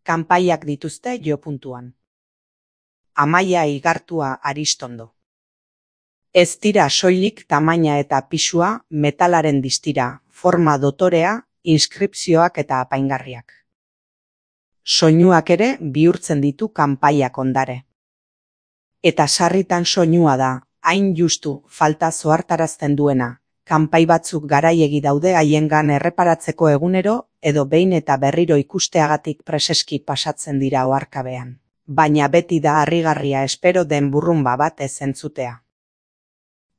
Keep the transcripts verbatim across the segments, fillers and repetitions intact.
Kanpaiak dituzte jo puntuan. Amaia Igartua Aristondo. Ez dira soilik tamaina eta pisua, metalaren distira, forma dotorea, inskripzioak eta apaingarriak. Soinuak ere bihurtzen ditu kanpaiak ondare. Eta sarritan soinua da, hain justu falta zohartarazten duena, kanpai batzuk garaiegi daude haiengan erreparatzeko egunero edo behin eta berriro ikusteagatik preseski pasatzen dira oharkabean. Baina beti da harrigarria espero den burrunba bat ez entzutea.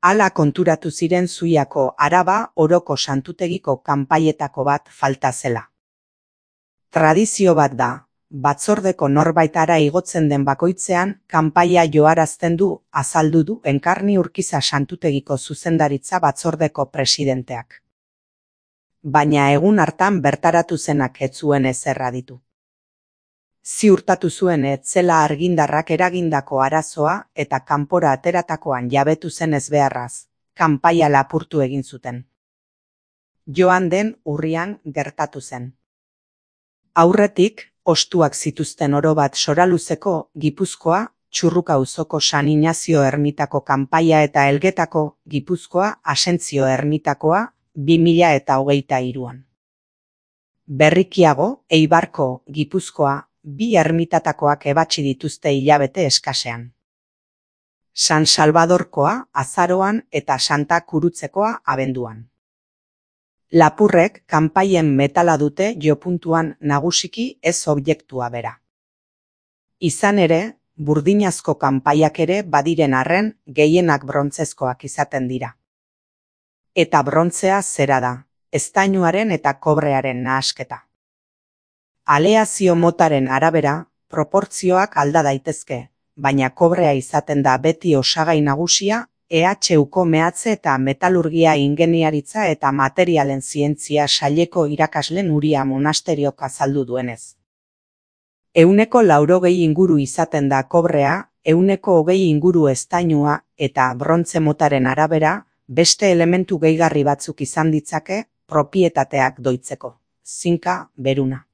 Hala konturatu ziren Zuiako Araba Oroko Santutegiko kanpaietako bat falta zela. Tradizio bat da, batzordeko norbaitara igotzen den bakoitzean kanpaia joarazten du azaldu du Enkarni Urkiza Santutegiko zuzendaritza batzordeko presidenteak. Baina egun hartan bertaratu zenak ez zuen ezerra ditu. Ziurtatu zuen ez zela argindarrak eragindako arazoa eta kanpora ateratakoan jabetu zen ezbeharraz, kanpaia lapurtu egin zuten. Joan den urrian gertatu zen. Aurretik, ostuak zituzten orobat Soraluzeko, Gipuzkoa, Txurruka auzoko San Inazio ermitako kanpaia eta Elgetako, Gipuzkoa, Asentzio ermitakoa, bi mila eta hogeita hiruan. Berrikiago, Eibarko, Gipuzkoa, bi ermitatakoak ebatsi dituzte hilabete eskasean. San Salvadorkoa azaroan eta Santa Kurutzekoa abenduan. Lapurrek kanpaien metala dute jopuntuan nagusiki ez objektua bera. Izan ere, burdinazko kanpaiak ere badiren arren gehienak brontzezkoak izaten dira. Eta brontzea zera da, eztainuaren eta kobrearen nahasketa. Aleazio motaren arabera, proportzioak alda daitezke, baina kobrea izaten da beti osagai nagusia, E H Uko mehatze eta metalurgia ingeniaritza eta materialen zientzia saileko irakasle Nuria Monasteriok azaldu duenez. Ehuneko laurogei inguru izaten da kobrea, ehuneko hogei inguru eztainua eta brontze motaren arabera, beste elementu gehigarri batzuk izan ditzake, propietateak doitzeko, zinka, beruna.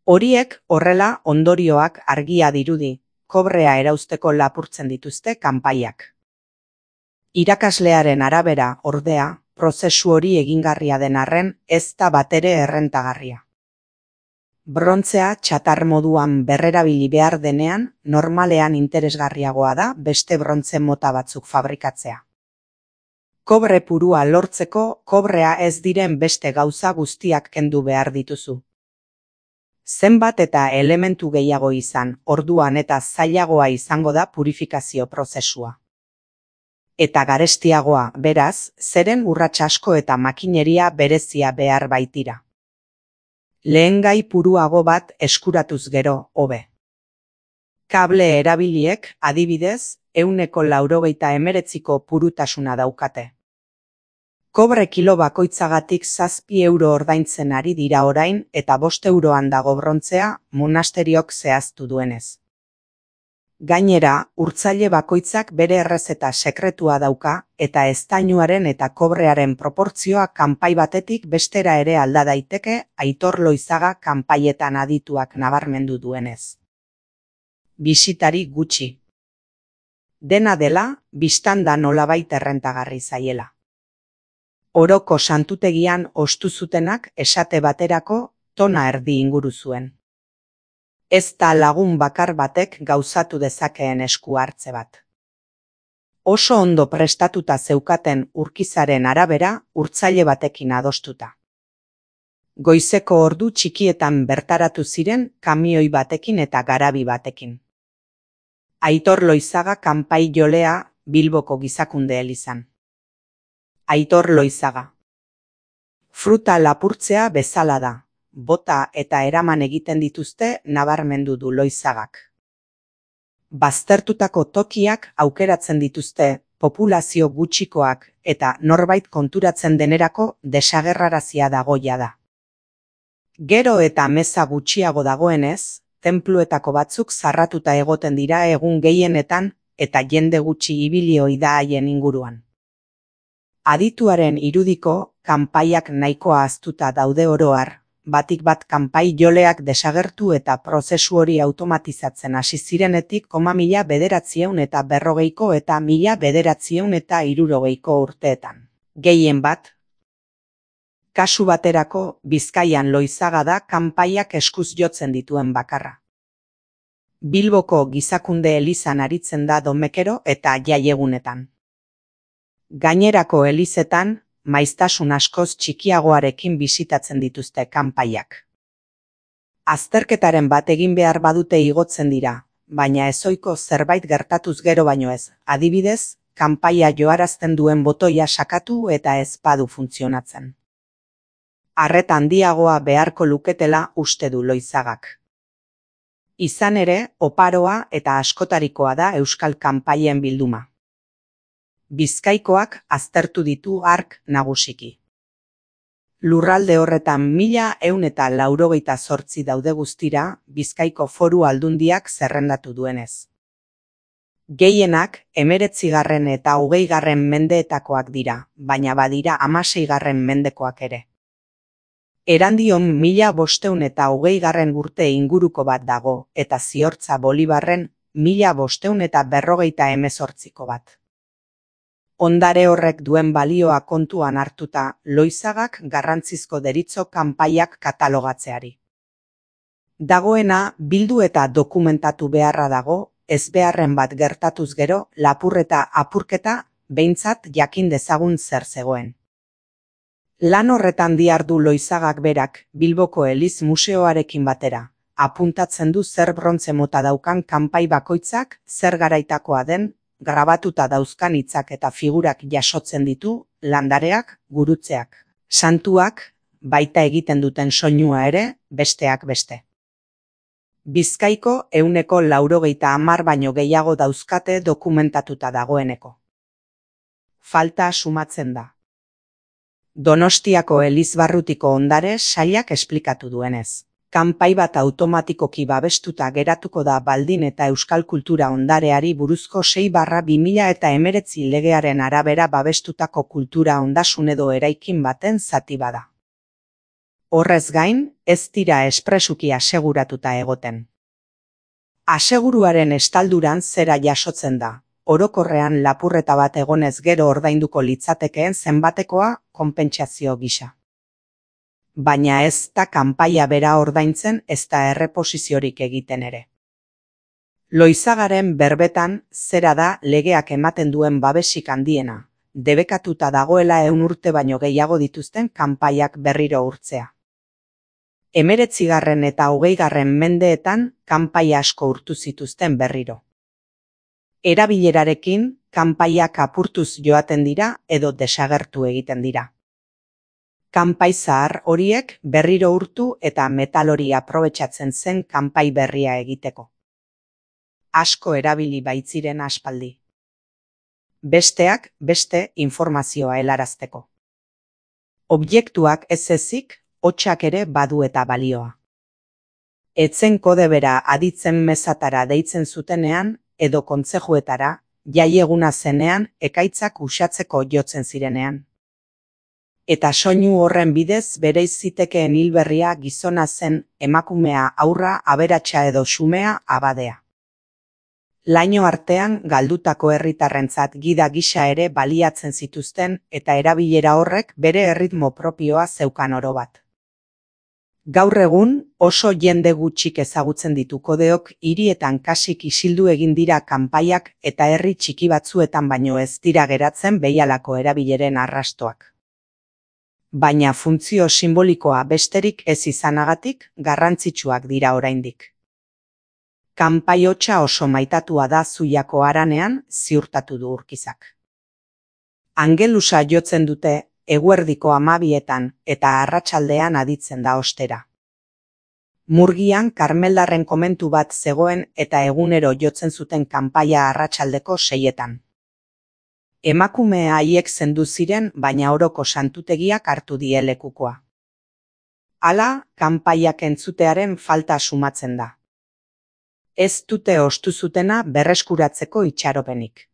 Horiek horrela ondorioak argia dirudi, kobrea erauzteko lapurtzen dituzte kanpaiak. Irakaslearen arabera, ordea, prozesu hori egingarria den arren ez da batere errentagarria. Brontzea txatar moduan berrerabili behar denean, normalean interesgarriagoa da beste brontze mota batzuk fabrikatzea. Kobre purua lortzeko kobrea ez diren beste gauza guztiak kendu behar dituzu. Zenbat eta elementu gehiago izan, orduan eta zailagoa izango da purifikazio prozesua. Eta garestiagoa, beraz, zeren urrats asko eta makineria berezia behar baitira. Lehengai puruago bat eskuratuz gero, hobe. Kable erabiliek, adibidez, ehuneko laurogeita hemeretziko purutasuna daukate. Kobre kilo bakoitzagatik zazpi euro ordaintzen ari dira orain eta bost euroan dago brontzea monasteriok zehaztu duenez. Gainera, urtzaile bakoitzak bere errezeta sekretua dauka eta eztainuaren eta kobrearen proportzioa kanpai batetik bestera ere alda daiteke Aitor Loizaga kanpaietan adituak nabarmendu duenez. Bisitari gutxi. Dena dela, bistan da nolabait errentagarri zaiela. Oroko santutegian ostu zutenak esate baterako tona erdi inguru zuen. Ez da lagun bakar batek gauzatu dezakeen esku hartze bat. Oso ondo prestatuta zeukaten Urkizaren arabera urtzaile batekin adostuta. Goizeko ordu txikietan bertaratu ziren kamioi batekin eta garabi batekin. Aitor Loizaga kanpai jolea Bilboko Gizakunde elizan. Aitor Loizaga. Fruta lapurtzea bezala da. Bota eta eraman egiten dituzte nabarmendu du Loizagak. Baztertutako tokiak aukeratzen dituzte populazio gutxikoak eta norbait konturatzen denerako desagerrarazia dagoia da. Gero eta meza gutxiago dagoenez, tenpluetako batzuk zarratuta egoten dira egun gehienetan eta jende gutxi ibili ohi da haien inguruan. Adituaren irudiko, kanpaiak nahikoa ahaztuta daude oro har, batik bat kanpai joleak desagertu eta prozesu hori automatizatzen hasi zirenetik koma mila bederatziehun eta berrogeiko eta mila bederatziehun eta hirurogeiko urteetan. Gehien bat, kasu baterako Bizkaian Loizaga da kanpaiak eskuz jotzen dituen bakarra. Bilboko Gizakunde elizan aritzen da domekero eta jaiegunetan. Gainerako elizetan, maiztasun askoz txikiagoarekin bisitatzen dituzte kanpaiak. Azterketaren bat egin behar badute igotzen dira, baina ezohiko zerbait gertatuz gero baino ez, adibidez, kanpaia joarazten duen botoia sakatu eta ez badu funtzionatzen. Arreta handiagoa beharko luketela uste du Loizagak. Izan ere, oparoa eta askotarikoa da euskal kanpaien bilduma. Bizkaikoak aztertu ditu hark nagusiki. Lurralde horretan mila ehun eta laurogeita zortzi daude guztira Bizkaiko Foru Aldundiak zerrendatu duenez. Gehienak hemeretzigarren eta hogeigarren mendeetakoak dira, baina badira hamaseigarren mendekoak ere. Erandion mila bostehun eta hogeigarren urte inguruko bat dago, eta Ziortza Bolibarren mila bostehun eta berrogeita hemezortziko bat. Ondare horrek duen balioa kontuan hartuta, Loizagak garrantzizko deritzo kanpaiak katalogatzeari. Dagoena bildu eta dokumentatu beharra dago, ezbeharren bat gertatuz gero, lapurreta apurketa behintzat jakin dezagun zer zegoen. Lan horretan dihardu Loizagak berak Bilboko Eliz Museoarekin batera, apuntatzen du zer brontze mota daukan kanpai bakoitzak zer garaitakoa den, grabatuta dauzkan hitzak eta figurak jasotzen ditu, landareak, gurutzeak, santuak, baita egiten duten soinua ere, besteak beste. Bizkaiko ehuneko laurogeita hamar baino gehiago dauzkate dokumentatuta dagoeneko. Falta sumatzen da. Donostiako Elizbarrutiko ondare sailak esplikatu duenez. Kanpai bat automatikoki babestuta geratuko da baldin eta euskal kultura ondareari buruzko sei barra bi mila eta hemeretzi legearen arabera babestutako kultura ondasun edo eraikin baten zati bada. Horrez gain, ez dira espresuki aseguratuta egoten. Aseguruaren estalduran zera jasotzen da, orokorrean lapurreta bat egonez gero ordainduko litzatekeen zenbatekoa konpentsazio gisa. Baina ez da kanpaia bera ordaintzen ez da erreposiziorik egiten ere. Loizagaren berbetan zera da legeak ematen duen babesik handiena, debekatuta dagoela ehun urte baino gehiago dituzten kanpaiak berriro urtzea. Hemeretzigarren eta hogeigarren mendeetan kanpaia asko urtu zituzten berriro. Erabilerarekin kanpaiak apurtuz joaten dira edo desagertu egiten dira. Kanpai zahar horiek berriro urtu eta metal hori aprobetxatzen zen kanpai berria egiteko. Asko erabili baitziren aspaldi. Besteak beste informazioa helarazteko. Objektuak ez ezik, hotsak ere badu eta balioa. Etzen kode bera aditzen mezatara deitzen zutenean edo kontzejuetara, jaieguna zenean ekaitzak uxatzeko jotzen zirenean. Eta soinu horren bidez bereiz zitekeen hilberria gizona zen, emakumea haurra aberatsa edo xumea abadea. Laino artean galdutako herritarrentzat gida gisa ere baliatzen zituzten eta erabilera horrek bere erritmo propioa zeukan orobat. Gaur egun oso jende gutxik ezagutzen ditu kodeok hirietan kasik isildu egin dira kanpaiak eta herri txiki batzuetan baino ez dira geratzen behialako erabileren arrastoak. Baina funtzio simbolikoa besterik ez izanagatik garrantzitsuak dira oraindik. Kanpai hotsa oso maitatua da Zuiako haranean, ziurtatu du Urkizak. Angelusa jotzen dute eguerdiko hamabietan eta arratsaldean aditzen da ostera. Murgian Karmeldarren komentu bat zegoen eta egunero jotzen zuten kanpaia arratsaldeko seietan. Emakumea haiek zendu ziren, baina oroko santutegiak hartu die lekukoa. Hala, kanpaiak entzutearen falta sumatzen da. Ez dute ostu zutena berreskuratzeko itxaropenik.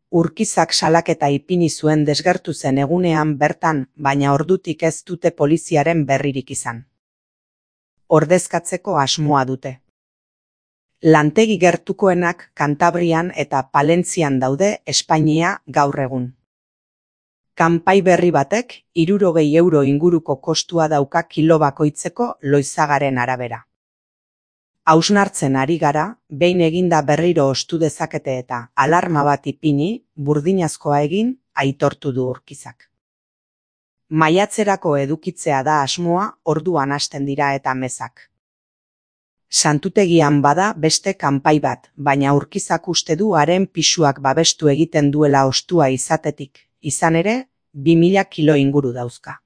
Urkizak salaketa ipini zuen desgertu zen egunean bertan, baina ordutik ez dute poliziaren berririk izan. Ordezkatzeko asmoa dute. Lantegi gertukoenak Kantabrian eta Palentzian daude Espainia gaur egun. Kanpai berri batek hirurogei euro inguruko kostua dauka kilo bakoitzeko loizagaren arabera. Hausnartzen ari gara, behin eginda berriro ostu dezakete eta alarma bat ipini, burdinazkoa egin, aitortu du Urkizak. Maiatzerako edukitzea da asmoa, orduan hasten dira eta mezak. Santutegian bada beste kanpai bat, baina Urkizak uste du haren pisuak babestu egiten duela ostua izatetik, izan ere, bi mila kilo inguru dauzka.